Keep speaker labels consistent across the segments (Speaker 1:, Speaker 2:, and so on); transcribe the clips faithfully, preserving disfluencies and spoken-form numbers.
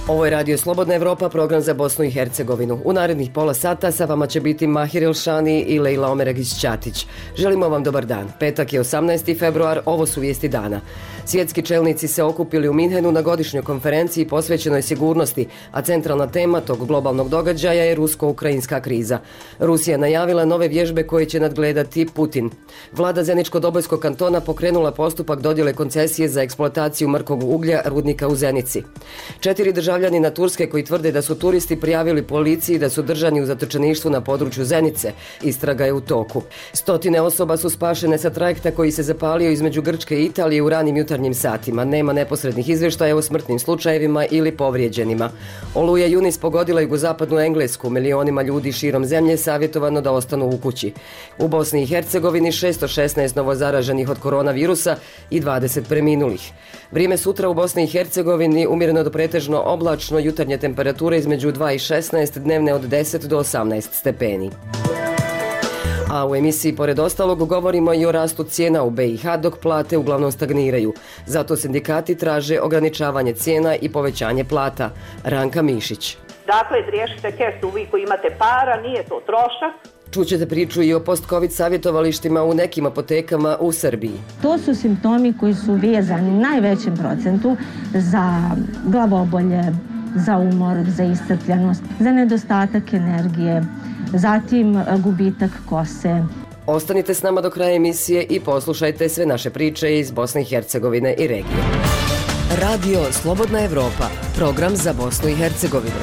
Speaker 1: Ovo je Radio Slobodna Evropa, program za Bosnu i Hercegovinu. U narednih pola sata sa vama će biti Mahir Ilšani i Lejla Omeragić-Ćatić. Želimo vam dobar dan. Petak je osamnaesti februar, ovo su vijesti dana. Svjetski čelnici se okupili u Minhenu na godišnjoj konferenciji posvećenoj sigurnosti, a centralna tema tog globalnog događaja je rusko-ukrajinska kriza. Rusija najavila nove vježbe koje će nadgledati Putin. Vlada Zeničko-Dobojskog kantona pokrenula postupak dodjele koncesije za eksploataciju mrkog uglja rudnika u Zenici. Četiri državljani na Turske koji tvrde da su turisti prijavili policiji da su držani u zatočeništvu na području Zenice. Istraga je u toku. Stotine osoba su spašene sa trajekta koji se zapalio između Grčke i Italije u ranim jutarnjim satima. Nema neposrednih izvještaja o smrtnim slučajevima ili povrijeđenima. Oluja Junis pogodila jugozapadnu Englesku. Milionima ljudi širom zemlje savjetovano da ostanu u kući. U Bosni i Hercegovini šesto šesnaest novozaraženih od koronavirusa i dvadeset preminulih. Vrijeme sutra u Bosni i Hercegovini umjereno do pretežno oblačno, jutarnje temperature između dva i šesnaest, dnevne od deset do osamnaest stepeni. A u emisiji pored ostalog govorimo i o rastu cijena u B i H dok plate uglavnom stagniraju. Zato sindikati traže ograničavanje cijena i povećanje plata. Ranka Mišić.
Speaker 2: Dakle, riješite kesu vi koji imate para, nije to trošak.
Speaker 1: Čućete priču i o post-covid savjetovalištima u nekim apotekama u Srbiji.
Speaker 3: To su simptomi koji su vezani u najvećem procentu za glavobolje, za umor, za iscrpljenost, za nedostatak energije, zatim gubitak kose.
Speaker 1: Ostanite s nama do kraja emisije i poslušajte sve naše priče iz Bosne i Hercegovine i regije. Radio Slobodna Evropa, program za Bosnu i Hercegovinu.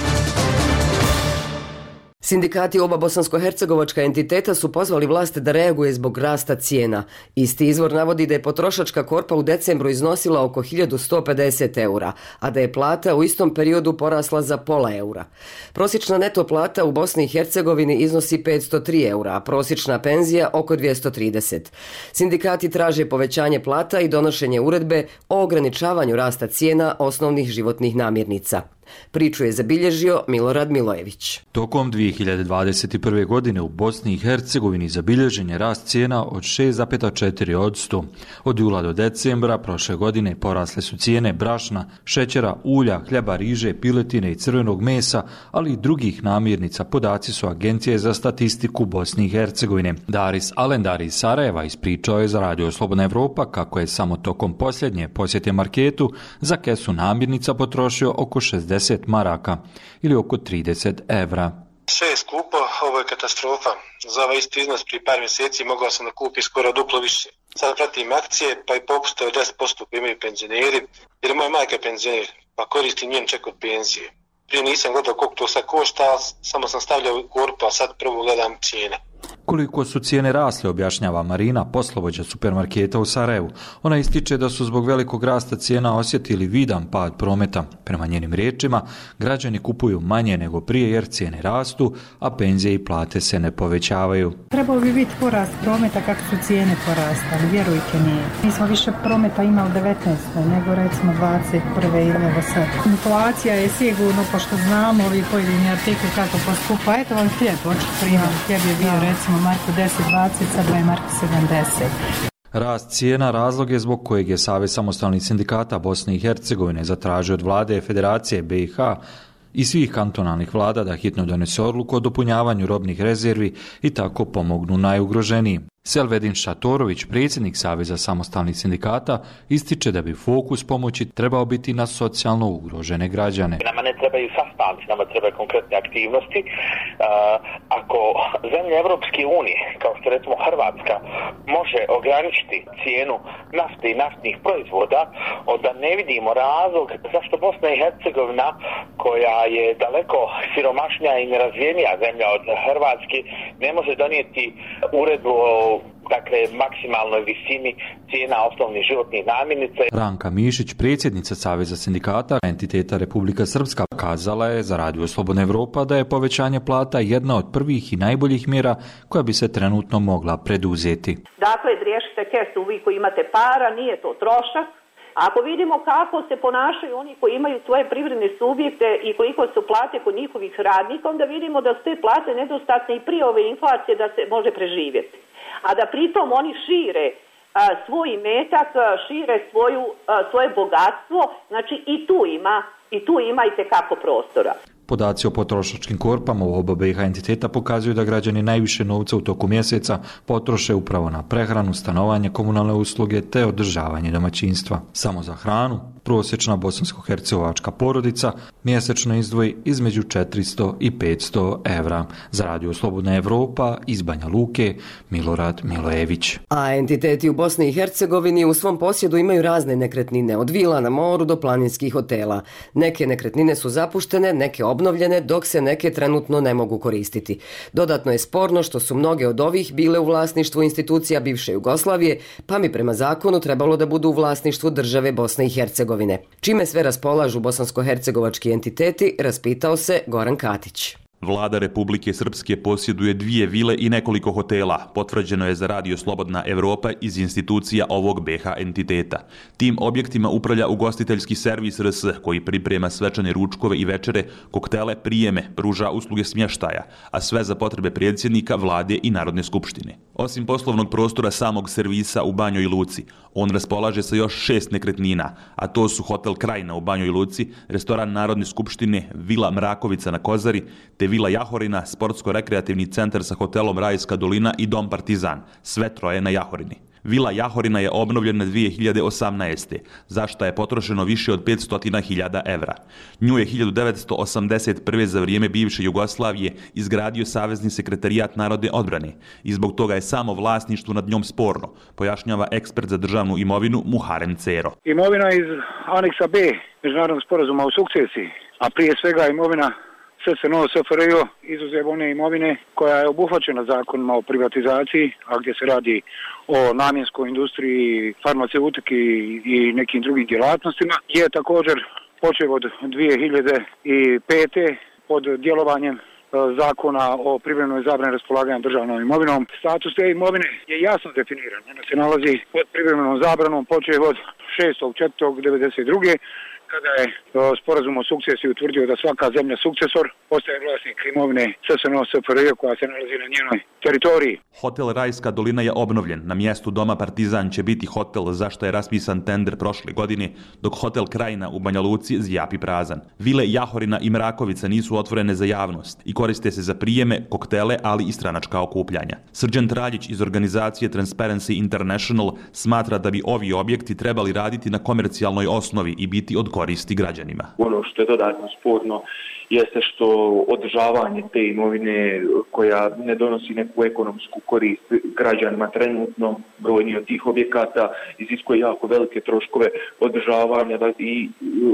Speaker 1: Sindikati oba bosansko-hercegovačka entiteta su pozvali vlast da reaguje zbog rasta cijena. Isti izvor navodi da je potrošačka korpa u decembru iznosila oko hiljadu sto pedeset eura, a da je plata u istom periodu porasla za pola eura. Prosječna neto plata u Bosni i Hercegovini iznosi petsto tri eura, a prosječna penzija oko dvjesto trideset. Sindikati traže povećanje plata i donošenje uredbe o ograničavanju rasta cijena osnovnih životnih namirnica. Priču je zabilježio Milorad Milojević.
Speaker 4: Tokom dvije hiljade dvadeset prve. godine u Bosni i Hercegovini zabilježen je rast cijena od šest zarez četiri posto. Od jula do decembra prošle godine porasle su cijene brašna, šećera, ulja, hljeba, riže, piletine i crvenog mesa, ali i drugih namirnica, podaci su Agencije za statistiku Bosne i Hercegovine. Daris Alendar iz Sarajeva ispričao je za Radio Slobodna Evropa kako je samo tokom posljednje posjete marketu za kesu namirnica potrošio oko šezdeset maraka ili oko trideset evra.
Speaker 5: Sve je skupo, ovo je katastrofa. Za ovaj isti iznos prije par mjeseci mogao sam da kupi skoro duplo više. Sad pratim akcije pa i popuste od deset posto koji imaju penzioneri, jer je moja majka penzioner, pa koristim njen ček od penzije. Prije nisam gledao koliko to sad košta, samo sam stavljao u korpu, a sad prvo gledam cijene.
Speaker 4: Koliko su cijene rasle, objašnjava Marina, poslovođa supermarketa u Sarajevu. Ona ističe da su zbog velikog rasta cijena osjetili vidan pad prometa. Prema njenim riječima, građani kupuju manje nego prije jer cijene rastu, a penzije i plate se ne povećavaju.
Speaker 6: Trebao bi biti porast prometa kako su cijene porastali, vjerujte nije. Mi smo više prometa imali devetnaeste nego recimo dvadeset prve ili evo sad. Inflacija je sigurno, pošto znamo ovi pojedini artikli kako poskupa. Eto vam hljeb, očito primam, hljeb je bio recimo marku deset dvadeset, sad je marku sedamdeset.
Speaker 4: Rast cijena razlog je zbog kojeg je Savez samostalnih sindikata Bosne i Hercegovine zatražio od vlade Federacije B i H i svih kantonalnih vlada da hitno donese odluku o dopunjavanju robnih rezervi i tako pomognu najugroženijim. Selvedin Šatorović, predsjednik Saveza samostalnih sindikata, ističe da bi fokus pomoći trebao biti na socijalno ugrožene građane.
Speaker 7: Nama ne trebaju sastanci, nama trebaju konkretne aktivnosti. Uh, ako zemlje Evropske unije, kao što recimo Hrvatska, može ograničiti cijenu nafte i naftnih proizvoda, onda ne vidimo razlog zašto Bosna i Hercegovina, koja je daleko siromašnija i nerazvijenija zemlja od Hrvatske, ne može donijeti uredbu o dakle maksimalnoj visini cijena osnovnih životnih namirnica.
Speaker 4: Ranka Mišić, predsjednica Saveza sindikata entiteta Republika Srpska, kazala je za Radio Slobodna Evropa da je povećanje plata jedna od prvih i najboljih mjera koja bi se trenutno mogla preduzeti.
Speaker 2: Dakle, riješite kesu vi koji imate para, nije to trošak. Ako vidimo kako se ponašaju oni koji imaju svoje privredne subjekte i koliko su plate kod njihovih radnika, onda vidimo da su te plate nedostatne i prije ove inflacije da se može preživjeti. A da pritom oni šire svoj imetak, šire svoju, svoje bogatstvo, znači i tu ima, i tu ima itekako prostora.
Speaker 4: Podaci o potrošačkim korpama u oba B iH entiteta pokazuju da građani najviše novca u toku mjeseca potroše upravo na prehranu, stanovanje, komunalne usluge te održavanje domaćinstva. Samo za hranu prosječna bosansko-hercegovačka porodica mjesečno izdvoji između četiristo i petsto evra. Za Radio Slobodna Evropa iz Banja Luke, Milorad Milojević.
Speaker 1: A entiteti u Bosni i Hercegovini u svom posjedu imaju razne nekretnine, od vila na moru do planinskih hotela. Neke nekretnine su zapuštene, neke obnovljene, dok se neke trenutno ne mogu koristiti. Dodatno je sporno što su mnoge od ovih bile u vlasništvu institucija bivše Jugoslavije, pa mi prema zakonu trebalo da budu u vlasništvu države Bosne i Hercegovine. Čime sve raspolažu bosansko-hercegovački entiteti, raspitao se Goran Katić.
Speaker 8: Vlada Republike Srpske posjeduje dvije vile i nekoliko hotela, potvrđeno je za Radio Slobodna Evropa iz institucija ovog B iH entiteta. Tim objektima upravlja ugostiteljski servis R S, koji priprema svečane ručkove i večere, koktele, prijeme, pruža usluge smještaja, a sve za potrebe predsjednika, vlade i Narodne skupštine. Osim poslovnog prostora samog servisa u Banjoj Luci, on raspolaže sa još šest nekretnina, a to su Hotel Krajina u Banjoj Luci, restoran Narodne skupštine, Vila Mrakovica na Kozari, te Vila Jahorina, sportsko-rekreativni centar sa hotelom Rajska dolina i Dom Partizan, sve troje na Jahorini. Vila Jahorina je obnovljena dvije hiljade osamnaeste, za što je potrošeno više od petsto hiljada evra. Nju je hiljadu devetsto osamdeset prve za vrijeme bivše Jugoslavije izgradio Savezni sekretarijat narodne odbrane i zbog toga je samo vlasništvo nad njom sporno, pojašnjava ekspert za državnu imovinu Muharem Cero.
Speaker 9: Imovina iz aneksa B Međunarodnog sporazuma o sukcesiji, a prije svega imovina S S N O S F R J izuzev one imovine koja je obuhvaćena zakonima o privatizaciji, a gdje se radi o namjenskoj industriji, farmaceutiki i nekim drugim djelatnostima, je također počeo od dvije hiljade pete pod djelovanjem zakona o privremenoj zabrani raspolaganja državnom imovinom. Status te imovine je jasno definiran. Ona se nalazi pod privremenom zabranom počeo od šestog četvrtog devedeset druge kada je sporazum o sukcesiji utvrdio da svaka zemlja sukcesor postaje vlasnik imovine S S N O S F R J koja se nalazi na njenoj teritoriji.
Speaker 8: Hotel Rajska dolina je obnovljen. Na mjestu Doma Partizan će biti hotel za što je raspisan tender prošle godine, dok Hotel Krajina u Banja Luci zjapi prazan. Vile Jahorina i Mrakovica nisu otvorene za javnost i koriste se za prijeme, koktele, ali i stranačka okupljanja. Srđan Traljić iz organizacije Transparency International smatra da bi ovi objekti trebali raditi na komercijalnoj osnovi i biti od koristi građanima.
Speaker 10: Ono što je dodatno sporno jeste što održavanje te imovine koja ne donosi neku ekonomsku korist građanima trenutno, brojni od tih objekata iziskuje jako velike troškove održavanja i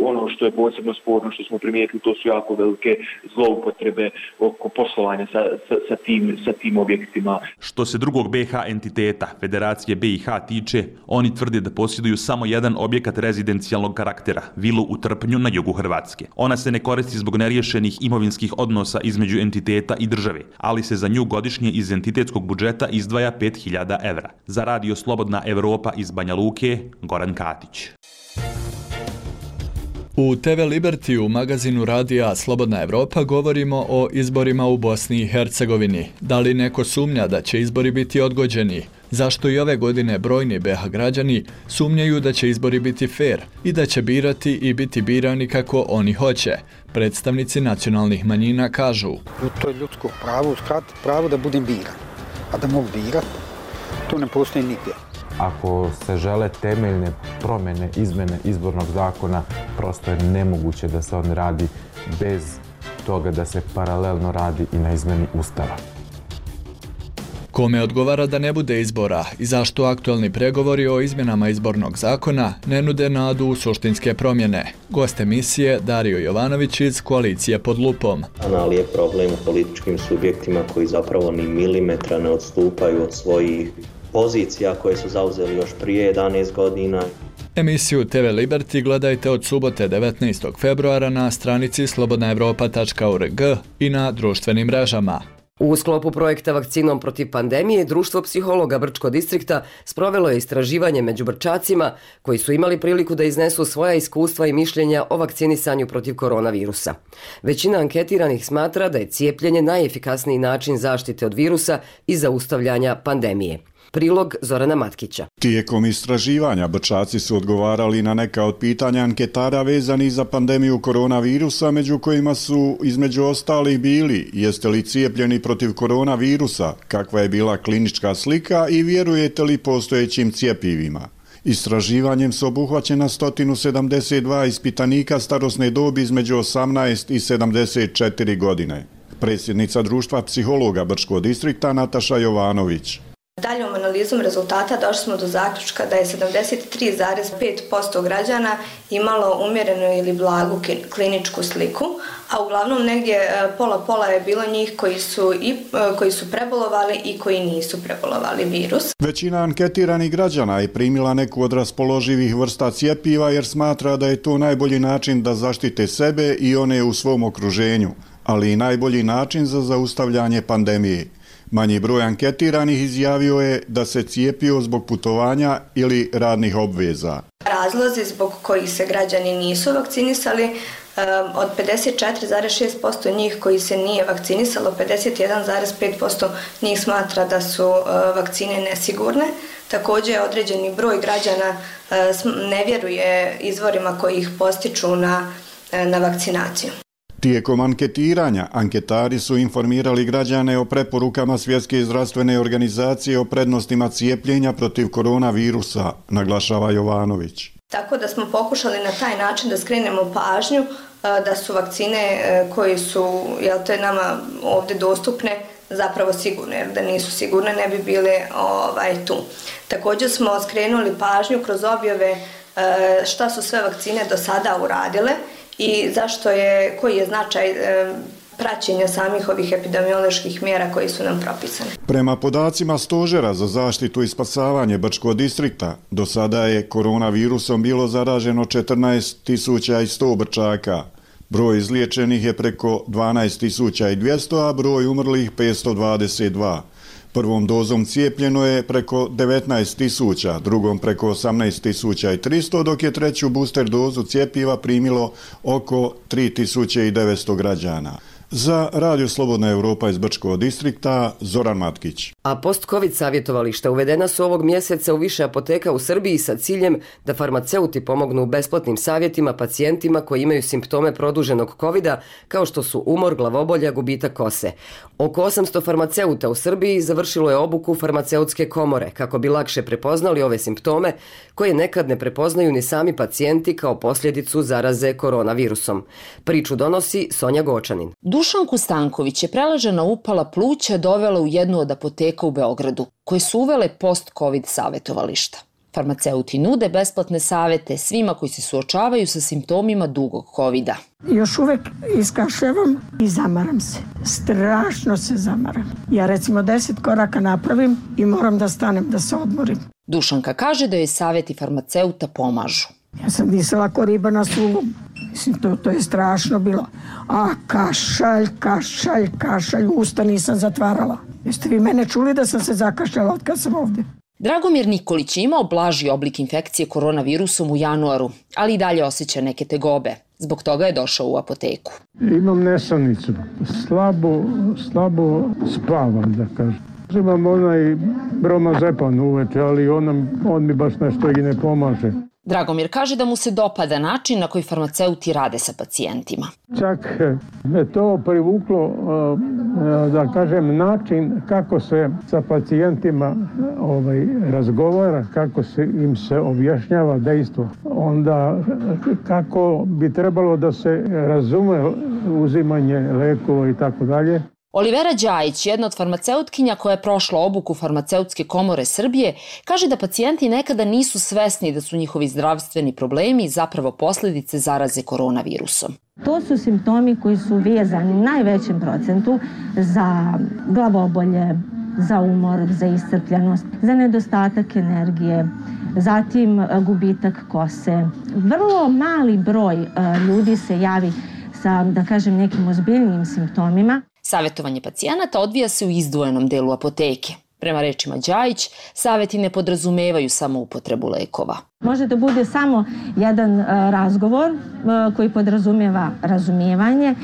Speaker 10: ono što je posebno sporno što smo primijetili, to su jako velike zloupotrebe oko poslovanja sa, sa, sa, tim, sa tim objektima.
Speaker 8: Što se drugog B iH entiteta, Federacije B iH tiče, oni tvrde da posjeduju samo jedan objekat rezidencijalnog karaktera, vilu u Trpnju na jugu Hrvatske. Ona se ne koristi zbog neriješenih imovinskih odnosa između entiteta i države, ali se za nju godišnje iz entitetskog budžeta izdvaja pet hiljada evra. Za Radio Slobodna Evropa iz Banja Luke, Goran Katić.
Speaker 11: U T V Liberty u magazinu Radija Slobodna Evropa govorimo o izborima u Bosni i Hercegovini. Da li neko sumnja da će izbori biti odgođeni? Zašto i ove godine brojni B iH građani sumnjaju da će izbori biti fair i da će birati i biti birani kako oni hoće? Predstavnici nacionalnih manjina kažu:
Speaker 12: to je ljudsko pravo, uskratiti pravo da budem biran, a da mogu birati, to ne postoji nigdje.
Speaker 13: Ako se žele temeljne promjene, izmjene izbornog zakona, prosto je nemoguće da se on radi bez toga da se paralelno radi i na izmjeni Ustava.
Speaker 11: Kome odgovara da ne bude izbora i zašto aktualni pregovori o izmjenama izbornog zakona ne nude nadu u suštinske promjene? Gost emisije Dario Jovanović iz Koalicije pod lupom.
Speaker 14: Ali je problem u političkim subjektima koji zapravo ni milimetra ne odstupaju od svojih pozicija koje su zauzeli još prije jedanaest godina.
Speaker 11: Emisiju T V Liberty gledajte od subote devetnaestog februara na stranici slobodna evropa tačka org i na društvenim mrežama.
Speaker 1: U sklopu projekta Vakcinom protiv pandemije, Društvo psihologa Brčko distrikta sprovelo je istraživanje među Brčacima koji su imali priliku da iznesu svoja iskustva i mišljenja o vakcinisanju protiv koronavirusa. Većina anketiranih smatra da je cijepljenje najefikasniji način zaštite od virusa i zaustavljanja pandemije. Prilog Zorana Matkića.
Speaker 15: Tijekom istraživanja Brčaci su odgovarali na neka od pitanja anketara vezanih za pandemiju koronavirusa, među kojima su između ostalih bili: jeste li cijepljeni protiv koronavirusa, kakva je bila klinička slika i vjerujete li postojećim cjepivima. Istraživanjem su obuhvaćena sto sedamdeset dva ispitanika starosne dobi između osamnaest i sedamdeset četiri godine. Predsjednica društva psihologa Brčkog distrikta Nataša Jovanović.
Speaker 16: Daljom analizom rezultata došli smo do zaključka da je sedamdeset tri zarez pet posto građana imalo umjerenu ili blagu kliničku sliku, a uglavnom negdje pola-pola je bilo njih koji su, i, koji su prebolovali i koji nisu prebolovali virus.
Speaker 15: Većina anketiranih građana je primila neku od raspoloživih vrsta cjepiva jer smatra da je to najbolji način da zaštite sebe i one u svom okruženju, ali i najbolji način za zaustavljanje pandemije. Manji broj anketiranih izjavio je da se cijepio zbog putovanja ili radnih obveza.
Speaker 16: Razlozi zbog kojih se građani nisu vakcinisali, od pedeset četiri zarez šest posto njih koji se nije vakcinisalo, pedeset jedan zarez pet posto njih smatra da su vakcine nesigurne. Također određeni broj građana ne vjeruje izvorima koji ih postiču na, na vakcinaciju.
Speaker 15: Tijekom anketiranja, anketari su informirali građane o preporukama Svjetske zdravstvene organizacije o prednostima cijepljenja protiv koronavirusa, naglašava Jovanović.
Speaker 16: Tako da smo pokušali na taj način da skrenemo pažnju da su vakcine koje su, jel te, nama ovdje dostupne zapravo sigurne, jer da nisu sigurne ne bi bile ovaj, tu. Također smo skrenuli pažnju kroz objave šta su sve vakcine do sada uradile i zašto je, koji je značaj e, praćenja samih ovih epidemioloških mjera koji su nam propisane.
Speaker 15: Prema podacima Stožera za zaštitu i spasavanje Brčkog distrikta, do sada je koronavirusom bilo zaraženo četrnaest tisuća sto Brčaka. Broj izliječenih je preko dvanaest tisuća dvjesto, a broj umrlih petsto dvadeset dva. Prvom dozom cijepljeno je preko devetnaest tisuća, drugom preko osamnaest tisuća tristo, dok je treću booster dozu cjepiva primilo oko tri tisuće devetsto građana. Za Radio Slobodna Europa iz Brčkog distrikta, Zoran Matkić.
Speaker 1: A post-covid savjetovališta uvedena su ovog mjeseca u više apoteka u Srbiji sa ciljem da farmaceuti pomognu besplatnim savjetima pacijentima koji imaju simptome produženog covida, kao što su umor, glavobolja, gubitak kose. Oko osamsto farmaceuta u Srbiji završilo je obuku farmaceutske komore kako bi lakše prepoznali ove simptome koje nekad ne prepoznaju ni sami pacijenti kao posljedicu zaraze koronavirusom. Priču donosi Sonja Gočanin.
Speaker 17: Dušanku Stanković je preležana upala pluća dovela u jednu od apoteka u Beogradu, koje su uvele post-covid savjetovališta. Farmaceuti nude besplatne savjete svima koji se suočavaju sa simptomima dugog covida.
Speaker 18: Još uvijek iskašljavam i zamaram se. Strašno se zamaram. Ja recimo deset koraka napravim i moram da stanem da se odmorim.
Speaker 17: Dušanka kaže da joj savjeti farmaceuta pomažu.
Speaker 18: Ja sam disala ko riba na suvu. Mislim, to, to je strašno bilo. A kašalj, kašalj, kašalj, usta nisam zatvarala. Jeste vi mene čuli da sam se zakašljala od kad sam ovdje?
Speaker 17: Dragomir Nikolić je imao blaži oblik infekcije koronavirusom u januaru, ali i dalje osjeća neke tegobe. Zbog toga je došao u apoteku.
Speaker 19: Imam nesanicu. Slabo, slabo spavam, da kažem. Imam onaj bromazepan uveče, ali on, on mi baš nešto i ne pomaže.
Speaker 17: Dragomir kaže da mu se dopada način na koji farmaceuti rade sa pacijentima.
Speaker 19: Čak me to privuklo, da kažem, način kako se sa pacijentima ovaj, razgovara, kako se im se objašnjava dejstvo. Onda kako bi trebalo da se razume uzimanje lekova i tako dalje.
Speaker 17: Olivera Đajić, jedna od farmaceutkinja koja je prošla obuku Farmaceutske komore Srbije, kaže da pacijenti nekada nisu svesni da su njihovi zdravstveni problemi zapravo posljedice zaraze koronavirusom.
Speaker 3: To su simptomi koji su vezani u najvećem procentu za glavobolje, za umor, za iscrpljenost, za nedostatak energije, zatim gubitak kose. Vrlo mali broj ljudi se javi sa, da kažem, nekim ozbiljnijim simptomima.
Speaker 17: Savjetovanje pacijenata odvija se u izdvojenom delu apoteke. Prema rečima Đajić, saveti ne podrazumevaju samo upotrebu lekova.
Speaker 3: Može da bude samo jedan uh, razgovor uh, koji podrazumijeva razumijevanje,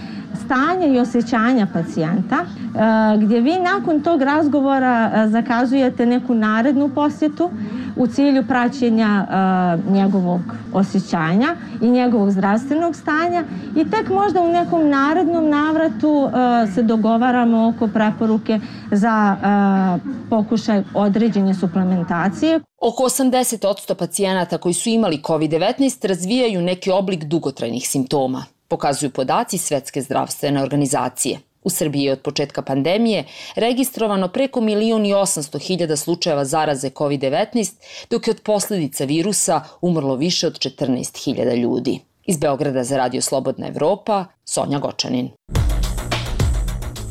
Speaker 3: stanje i osjećanja pacijenta, uh, gdje vi nakon tog razgovora uh, zakazujete neku narednu posjetu u cilju praćenja uh, njegovog osjećanja i njegovog zdravstvenog stanja i tek možda u nekom narednom navratu uh, se dogovaramo oko preporuke za uh, pokušaj određene suplementacije.
Speaker 17: Oko osamdeset posto pacijenata koji su imali kovid devetnaest razvijaju neki oblik dugotrajnih simptoma, pokazuju podaci Svetske zdravstvene organizacije. U Srbiji je od početka pandemije registrovano preko milion i osamsto hiljada slučajeva zaraze kovid devetnaest, dok je od posljedica virusa umrlo više od četrnaest hiljada ljudi. Iz Beograda za Radio Slobodna Evropa, Sonja Gočanin.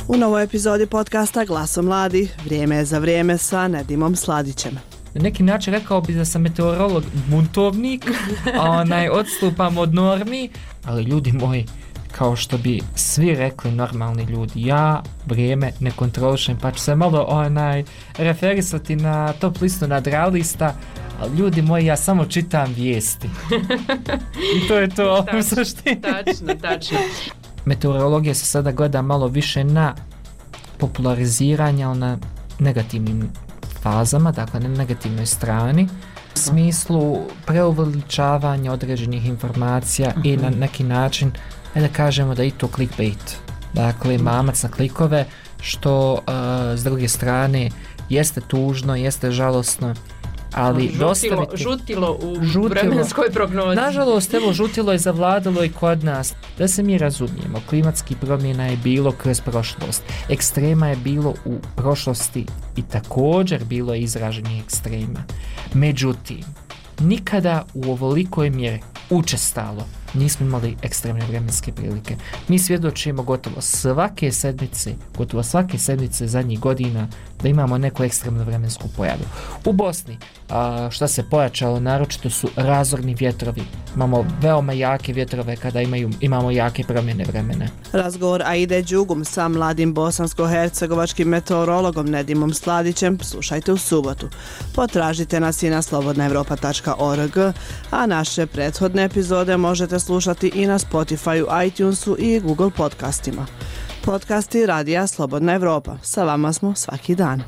Speaker 20: U novoj epizodi podcasta Glaso mladi, vrijeme je za vrijeme sa Nedimom Sladićem.
Speaker 21: Na neki način rekao bi da sam meteorolog buntovnik, a onaj odstupam od normi, ali ljudi moji, kao što bi svi rekli normalni ljudi, ja vrijeme ne kontrolišem, pa ću se malo onaj referisati na top listu nadrealista, ali ljudi moji, ja samo čitam vijesti. I to je to u suštini.
Speaker 22: Tačno, tačno.
Speaker 21: Meteorologija se sada gleda malo više na populariziranje, ali na negativnim fazama, dakle na negativnoj strani, u smislu preuveličavanja određenih informacija uh-huh. i na neki način, da kažemo da i to clickbait, dakle mamac na klikove, što uh, s druge strane jeste tužno, jeste žalosno, ali
Speaker 22: žutilo,
Speaker 21: dostaviti...
Speaker 22: Žutilo u žutilo. Vremenskoj prognozi.
Speaker 21: Nažalost, evo, žutilo je zavladalo i kod nas. Da se mi razumijemo, klimatski promjena je bilo kroz prošlost. Ekstrema je bilo u prošlosti i također bilo je izraženih ekstrema. Međutim, nikada u ovolikoj mjeri učestalo nismo imali ekstremne vremenske prilike. Mi svjedočimo gotovo svake sedmice, gotovo svake sedmice zadnjih godina da imamo neku ekstremnu vremensku pojavu. U Bosni, a, šta se pojačalo, naročito su razorni vjetrovi. Imamo veoma jake vjetrove kada imaju, imamo jake promjene vremena.
Speaker 20: Razgovor Aide Đugum sa mladim bosansko-hercegovačkim meteorologom Nedimom Sladićem slušajte u subotu. Potražite nas i na slobodna evropa tačka org, a naše prethodne epizode možete slušati i na Spotifyu, iTunesu i Google podcastima. Podcasti Radija Slobodna Evropa. Sa vama smo svaki dan.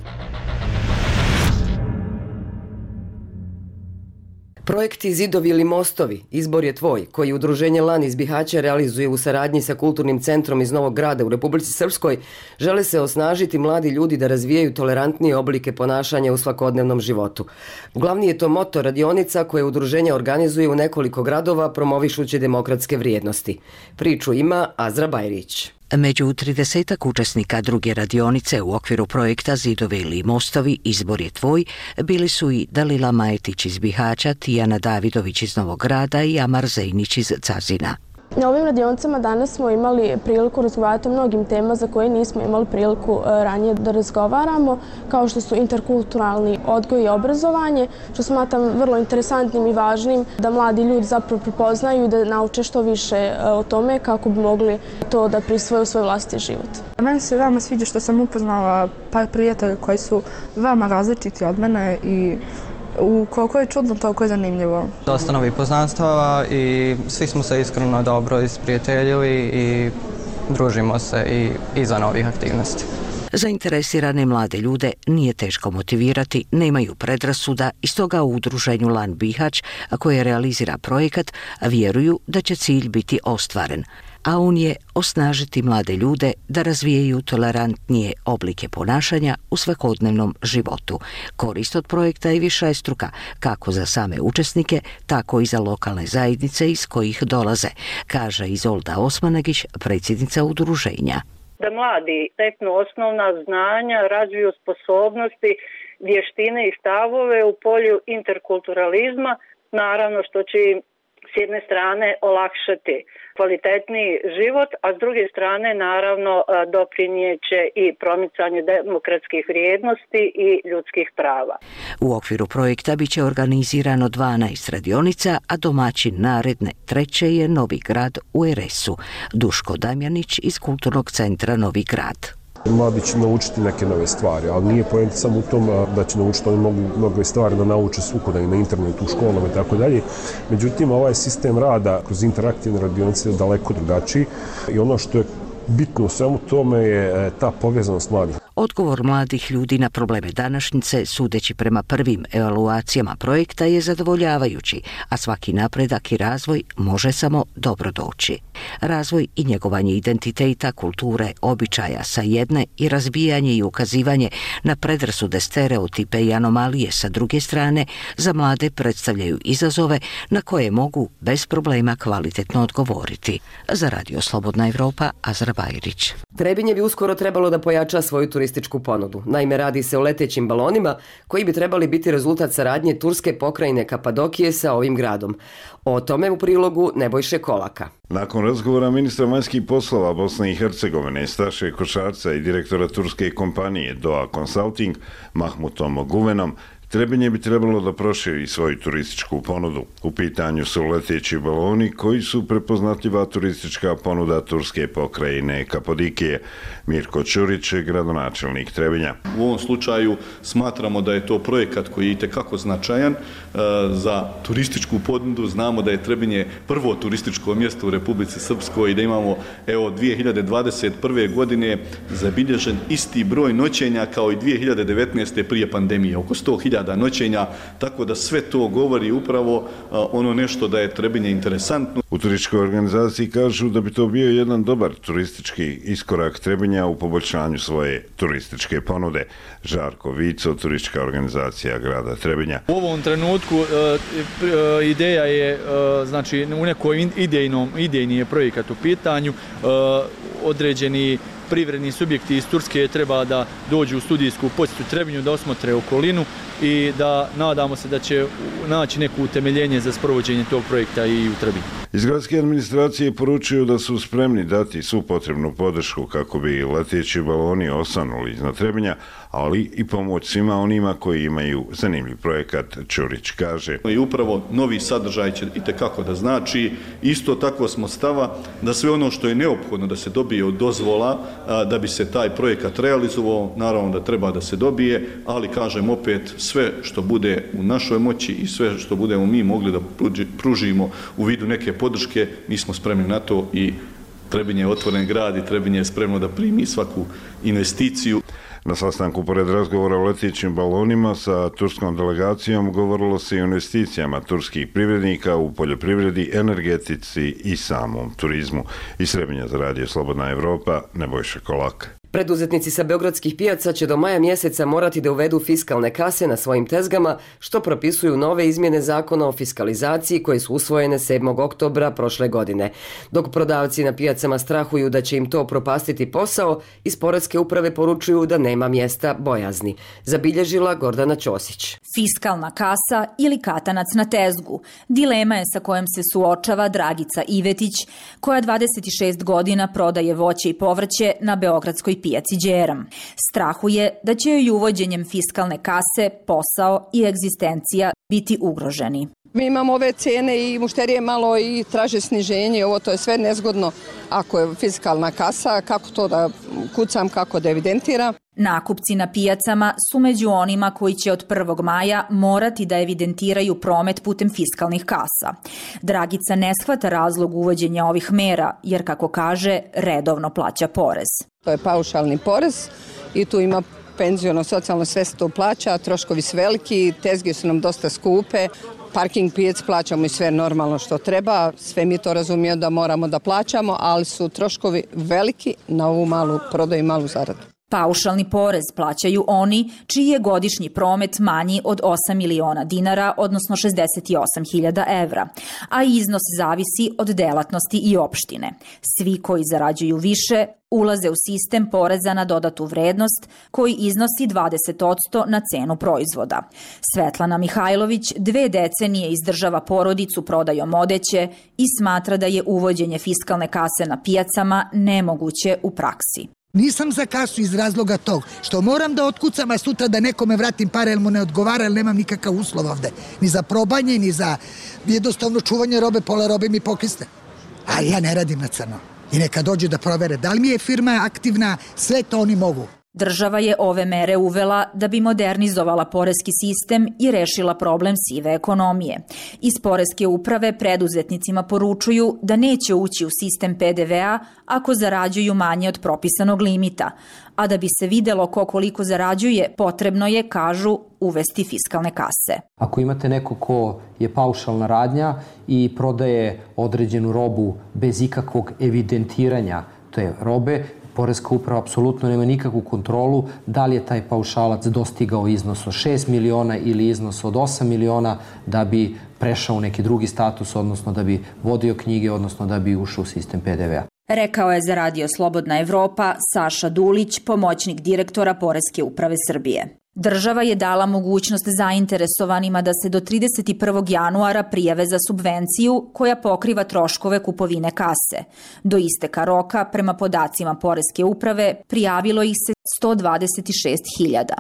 Speaker 1: Projekti Zidovi ili mostovi, izbor je tvoj, koji udruženje Lan iz Bihaća realizuje u saradnji sa Kulturnim centrom iz Novog Grada u Republici Srpskoj, žele se osnažiti mladi ljudi da razvijaju tolerantnije oblike ponašanja u svakodnevnom životu. Glavni je to moto radionica koje udruženje organizuje u nekoliko gradova promovišući demokratske vrijednosti. Priču ima Azra Bajrić.
Speaker 23: Među tridesetak učesnika druge radionice u okviru projekta Zidovi ili mostovi, izbor je tvoj, bili su i Dalila Majetić iz Bihaća, Tijana Davidović iz Novog Grada i Amar Zejnić iz Cazina.
Speaker 24: Na ovim radionicama danas smo imali priliku razgovarati o mnogim tema za koje nismo imali priliku ranije da razgovaramo, kao što su interkulturalni odgoj i obrazovanje, što smatram vrlo interesantnim i važnim da mladi ljudi zapravo prepoznaju i da nauče što više o tome kako bi mogli to da prisvoje u svoj vlastiti život.
Speaker 25: Meni se veoma sviđa što sam upoznala par prijatelja koji su veoma različiti od mene i U koliko je čudno, toliko je zanimljivo.
Speaker 26: Dosta novih poznanstava i svi smo se iskreno dobro isprijateljili i družimo se i iza novih aktivnosti.
Speaker 23: Zainteresirane mlade ljude nije teško motivirati, nemaju predrasuda i stoga u udruženju Lan Bihać, koje realizira projekat, vjeruju da će cilj biti ostvaren. A on je osnažiti mlade ljude da razvijaju tolerantnije oblike ponašanja u svakodnevnom životu. Korist od projekta je višestruka, kako za same učesnike, tako i za lokalne zajednice iz kojih dolaze, kaže Izolda Osmanagić, predsjednica udruženja.
Speaker 27: Da mladi steknu osnovna znanja, razviju sposobnosti, vještine i stavove u polju interkulturalizma, naravno što će im s jedne strane olakšati kvalitetniji život, a s druge strane naravno doprinijeće i promicanje demokratskih vrijednosti i ljudskih prava.
Speaker 23: U okviru projekta biće organizirano dvanaest radionica, a domaćin naredne treće je Novi Grad u er es u. Duško Damjanić iz Kulturnog centra Novi Grad.
Speaker 2: Mladi će naučiti neke nove stvari, ali nije poenta samo u tom da će naučiti, oni mogu mnogo stvari da nauče svukuda i na internetu, u školama i tako dalje. Međutim, ovaj sistem rada kroz interaktivne radionice je daleko drugačiji i ono što je bitno u svemu tome je ta povezanost mladih.
Speaker 23: Odgovor mladih ljudi na probleme današnjice, sudeći prema prvim evaluacijama projekta, je zadovoljavajući, a svaki napredak i razvoj može samo dobro doći. Razvoj i njegovanje identiteta, kulture, običaja sa jedne i razbijanje i ukazivanje na predrasude, stereotipe i anomalije sa druge strane za mlade predstavljaju izazove na koje mogu bez problema kvalitetno odgovoriti. Za Radio Slobodna Evropa, Azra Bajrić.
Speaker 1: Trebinje bi uskoro trebalo da pojača svoju turističku ponudu. Naime, radi se o letećim balonima koji bi trebali biti rezultat saradnje turske pokrajine Kapadokije sa ovim gradom. O tome u prilogu Nebojše Kolaka.
Speaker 15: Nakon razgovora ministra vanjskih poslova Bosne i Hercegovine, Staše Košarca i direktora turske kompanije Doha Consulting, Mahmutom Guvenom, Trebinje bi trebalo da proširi svoju turističku ponudu. U pitanju su leteći baloni koji su prepoznatljiva turistička ponuda turske pokrajine Kapadokije. Mirko Ćurić, gradonačelnik Trebinja.
Speaker 4: U ovom slučaju smatramo da je to projekat koji je itekako značajan za turističku ponudu. Znamo da je Trebinje prvo turističko mjesto u Republici Srpskoj i da imamo evo dvije hiljade dvadeset prve. godine zabilježen isti broj noćenja kao i dvije hiljade devetnaeste. prije pandemije, oko sto hiljada noćenja, tako da sve to govori upravo ono nešto da je Trebinje interesantno.
Speaker 15: U turističkoj organizaciji kažu da bi to bio jedan dobar turistički iskorak Trebinja u poboljšanju svoje turističke ponude. Žarko Vico, turistička organizacija grada Trebinja.
Speaker 5: U ovom trenutku ideja je, znači u nekoj idejnom, idejni je projekat u pitanju, određeni privredni subjekti iz Turske treba da dođu u studijsku posjetu Trebinju, da osmotre okolinu i da nadamo se da će naći neko utemeljenje za sprovođenje tog projekta i u Trebinju.
Speaker 15: Iz gradske administracije poručuju da su spremni dati svu potrebnu podršku kako bi leteći baloni osanuli iznad Trebinja, ali i pomoć svima onima koji imaju zanimljiv projekat, Ćurić kaže.
Speaker 4: I upravo novi sadržaj će itekako da znači. Isto tako smo stava da sve ono što je neophodno da se dobije od dozvola da bi se taj projekat realizovao, naravno da treba da se dobije, ali kažem opet, sve što bude u našoj moći i sve što budemo mi mogli da pružimo u vidu neke podrške, mi smo spremni na to i Trebinje je otvoren grad i Trebinje je spremno da primi svaku investiciju.
Speaker 15: Na sastanku pored razgovora o letećim balonima sa turskom delegacijom govorilo se i o investicijama turskih privrednika u poljoprivredi, energetici i samom turizmu. Iz Trebinja za Radio Slobodna Evropa, Nebojša Kolak.
Speaker 1: Preduzetnici sa beogradskih pijaca će do maja mjeseca morati da uvedu fiskalne kase na svojim tezgama, što propisuju nove izmjene zakona o fiskalizaciji koje su usvojene sedmog oktobra prošle godine. Dok prodavci na pijacama strahuju da će im to propastiti posao, iz Poreske uprave poručuju da nema mjesta bojazni. Zabilježila Gordana Ćosić.
Speaker 6: Fiskalna kasa ili katanac na tezgu. Dilema je sa kojom se suočava Dragica Ivetić, koja dvadeset šest godina prodaje voće i povrće na beogradskoj pijaci Đeram. Strahuje da će joj uvođenjem fiskalne kase posao i egzistencija biti ugroženi.
Speaker 7: Mi imamo ove cijene i mušterije malo i traže sniženje, ovo to je sve nezgodno ako je fiskalna kasa, kako to da kucam, kako da evidentiram.
Speaker 6: Nakupci na pijacama su među onima koji će od prvog maja morati da evidentiraju promet putem fiskalnih kasa. Dragica ne shvata razlog uvođenja ovih mera, jer kako kaže, redovno plaća porez.
Speaker 7: To je paušalni porez i tu ima penziono, socijalno, sve se to plaća, troškovi su veliki, tezge su nam dosta skupe, parking pijac plaćamo i sve normalno što treba, sve mi to razumijemo da moramo da plaćamo, ali su troškovi veliki na ovu malu prodaju i malu zaradu.
Speaker 6: Paušalni porez plaćaju oni čiji je godišnji promet manji od osam miliona dinara, odnosno šezdeset osam hiljada evra, a iznos zavisi od delatnosti i opštine. Svi koji zarađuju više ulaze u sistem poreza na dodatu vrednost koji iznosi dvadeset posto na cenu proizvoda. Svetlana Mihajlović dve decenije izdržava porodicu prodajom odeće i smatra da je uvođenje fiskalne kase na pijacama nemoguće u praksi.
Speaker 9: Nisam za kasu iz razloga tog što moram da otkucam, a sutra da nekome vratim pare jer mu ne odgovara, jer nemam nikakav uslov ovde. Ni za probanje, ni za jednostavno čuvanje robe, pola robe mi pokisne. A ja ne radim na crno. I neka dođu da provere da li mi je firma aktivna, sve to oni mogu.
Speaker 6: Država je ove mere uvela da bi modernizovala poreski sistem i rešila problem sive ekonomije. Iz poreske uprave preduzetnicima poručuju da neće ući u sistem P D V-a ako zarađuju manje od propisanog limita, a da bi se videlo ko koliko zarađuje, potrebno je, kažu, uvesti fiskalne kase.
Speaker 8: Ako imate neko ko je paušalna radnja i prodaje određenu robu bez ikakvog evidentiranja te robe, Poreska uprava apsolutno nema nikakvu kontrolu da li je taj paušalac dostigao iznos od šest miliona ili iznos od osam miliona da bi prešao u neki drugi status, odnosno da bi vodio knjige, odnosno da bi ušao u sistem P D V-a.
Speaker 6: Rekao je za Radio Slobodna Evropa Saša Dulić, pomoćnik direktora Poreske uprave Srbije. Država je dala mogućnost zainteresovanima da se do trideset prvog januara prijave za subvenciju koja pokriva troškove kupovine kase. Do isteka roka, prema podacima Poreske uprave, prijavilo ih se sto dvadeset šest hiljada.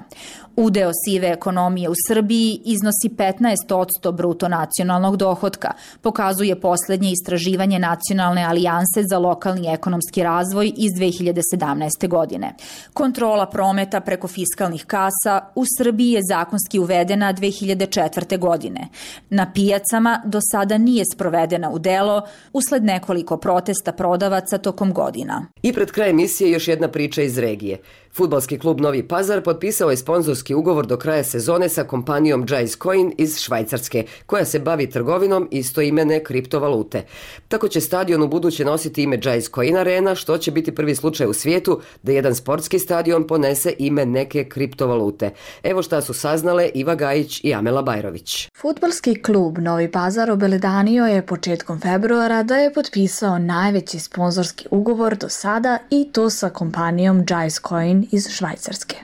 Speaker 6: Udeo sive ekonomije u Srbiji iznosi petnaest posto bruto nacionalnog dohotka, pokazuje poslednje istraživanje Nacionalne alijanse za lokalni ekonomski razvoj iz dve hiljade sedamnaeste. godine. Kontrola prometa preko fiskalnih kasa u Srbiji je zakonski uvedena dve hiljade četvrte. godine. Na pijacama do sada nije sprovedena u delo usled nekoliko protesta prodavaca tokom godina.
Speaker 1: I pred kraj emisije još jedna priča iz regije. Fudbalski klub Novi Pazar potpisao je sponzorski ugovor do kraja sezone sa kompanijom Jais Coin iz Švajcarske, koja se bavi trgovinom istoimene kriptovalute. Tako će stadion u buduće nositi ime Jais Coin Arena, što će biti prvi slučaj u svijetu da jedan sportski stadion ponese ime neke kriptovalute. Evo šta su saznale Iva Gajić i Amela Bajrović.
Speaker 10: Fudbalski klub Novi Pazar obelodanio je početkom februara da je potpisao najveći sponzorski ugovor do sada i to sa kompanijom Jais Coin iz Švajcarske.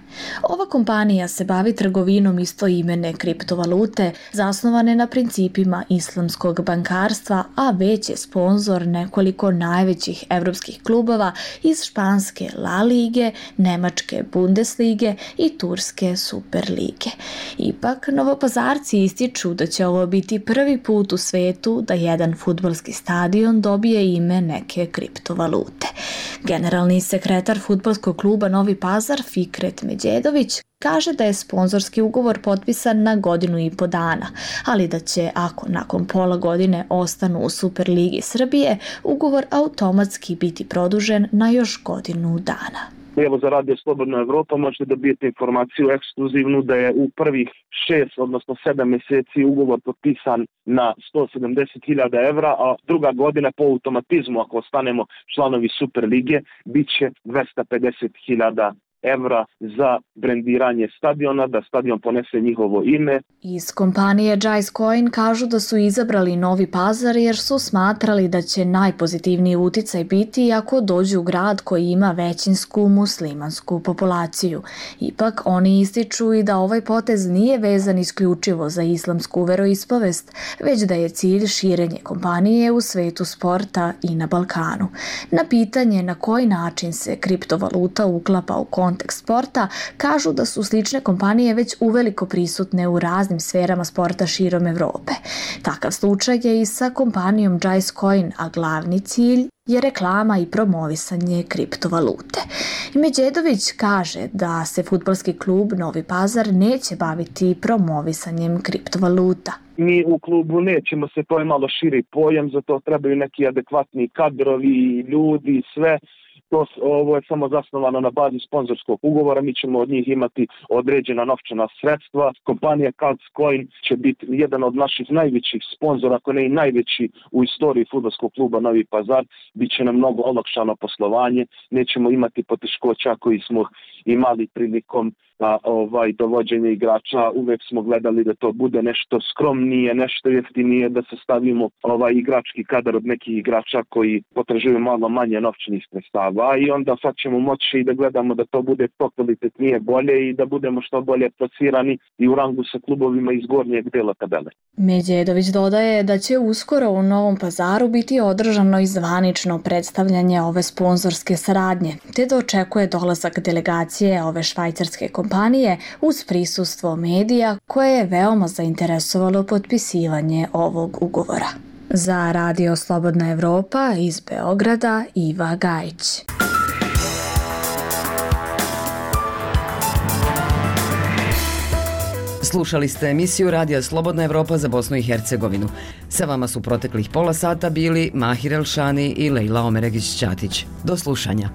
Speaker 10: Ova kompanija se bavi trgovinom istoimene kriptovalute zasnovane na principima islamskog bankarstva, a već je sponzor nekoliko najvećih evropskih klubova iz španske La Lige, nemačke Bundeslige i turske Superlige. Ipak, Novopazarci ističu da će ovo biti prvi put u svetu da jedan fudbalski stadion dobije ime neke kriptovalute. Generalni sekretar fudbalskog kluba Novi Pazar Fikret Međedović kaže da je sponzorski ugovor potpisan na godinu i po dana, ali da će, ako nakon pola godine ostanu u Superligi Srbije, ugovor automatski biti produžen na još godinu dana.
Speaker 11: Evo za Radio Slobodna Evropa možete dobijete informaciju ekskluzivnu da je u prvih šest, odnosno sedam mjeseci ugovor potpisan na sto sedamdeset hiljada evra, a druga godina po automatizmu, ako ostanemo članovi Superlige, bit će dvesta pedeset hiljada evra za brendiranje stadiona, da stadion ponese njihovo ime.
Speaker 10: Iz kompanije Jais Coin kažu da su izabrali Novi Pazar jer su smatrali da će najpozitivniji uticaj biti ako dođu u grad koji ima većinsku muslimansku populaciju. Ipak oni ističu i da ovaj potez nije vezan isključivo za islamsku veroispovest, već da je cilj širenje kompanije u svetu sporta i na Balkanu. Na pitanje na koji način se kriptovaluta uklapa u kontekst sporta, kažu da su slične kompanije već uveliko prisutne u raznim sferama sporta širom Evrope. Takav slučaj je i sa kompanijom Jais Coin, a glavni cilj je reklama i promovisanje kriptovalute. Međedović kaže da se fudbalski klub Novi Pazar neće baviti promovisanjem kriptovaluta.
Speaker 11: Mi u klubu nećemo se, to je malo širi pojam, zato trebaju neki adekvatni kadrovi, ljudi, sve. To, ovo je samo zasnovano na bazi sponzorskog ugovora, mi ćemo od njih imati određena novčana sredstva. Kompanija Jais Coin će biti jedan od naših najvećih sponzora, ako ne i najveći u istoriji fudbalskog kluba Novi Pazar. Biće nam mnogo olakšano poslovanje, nećemo imati poteškoća koji smo imali prilikom a, ovaj, dovođenja igrača. Uvek smo gledali da to bude nešto skromnije, nešto jeftinije, da se stavimo ovaj igrački kadar od nekih igrača koji potražuju malo manje novčanih sredstava i onda sad ćemo moći da gledamo da to bude to kvalitetnije, bolje i da budemo što bolje plasirani i u rangu sa klubovima iz gornjeg dela tabele.
Speaker 10: Međedović dodaje da će uskoro u Novom Pazaru biti održano i zvanično predstavljanje ove sponzorske saradnje, te da očekuje dolazak delegacije ove švajcarske kompanije uz prisustvo medija koje je veoma zainteresovalo potpisivanje ovog ugovora. Za Radio Slobodna Evropa iz Beograda Iva Gajić.
Speaker 1: Slušali ste emisiju Radija Slobodna Evropa za Bosnu i Hercegovinu. Sa vama su proteklih pola sata bili Mahir Elšani i Lejla Omeregić-Ćatić. Do slušanja.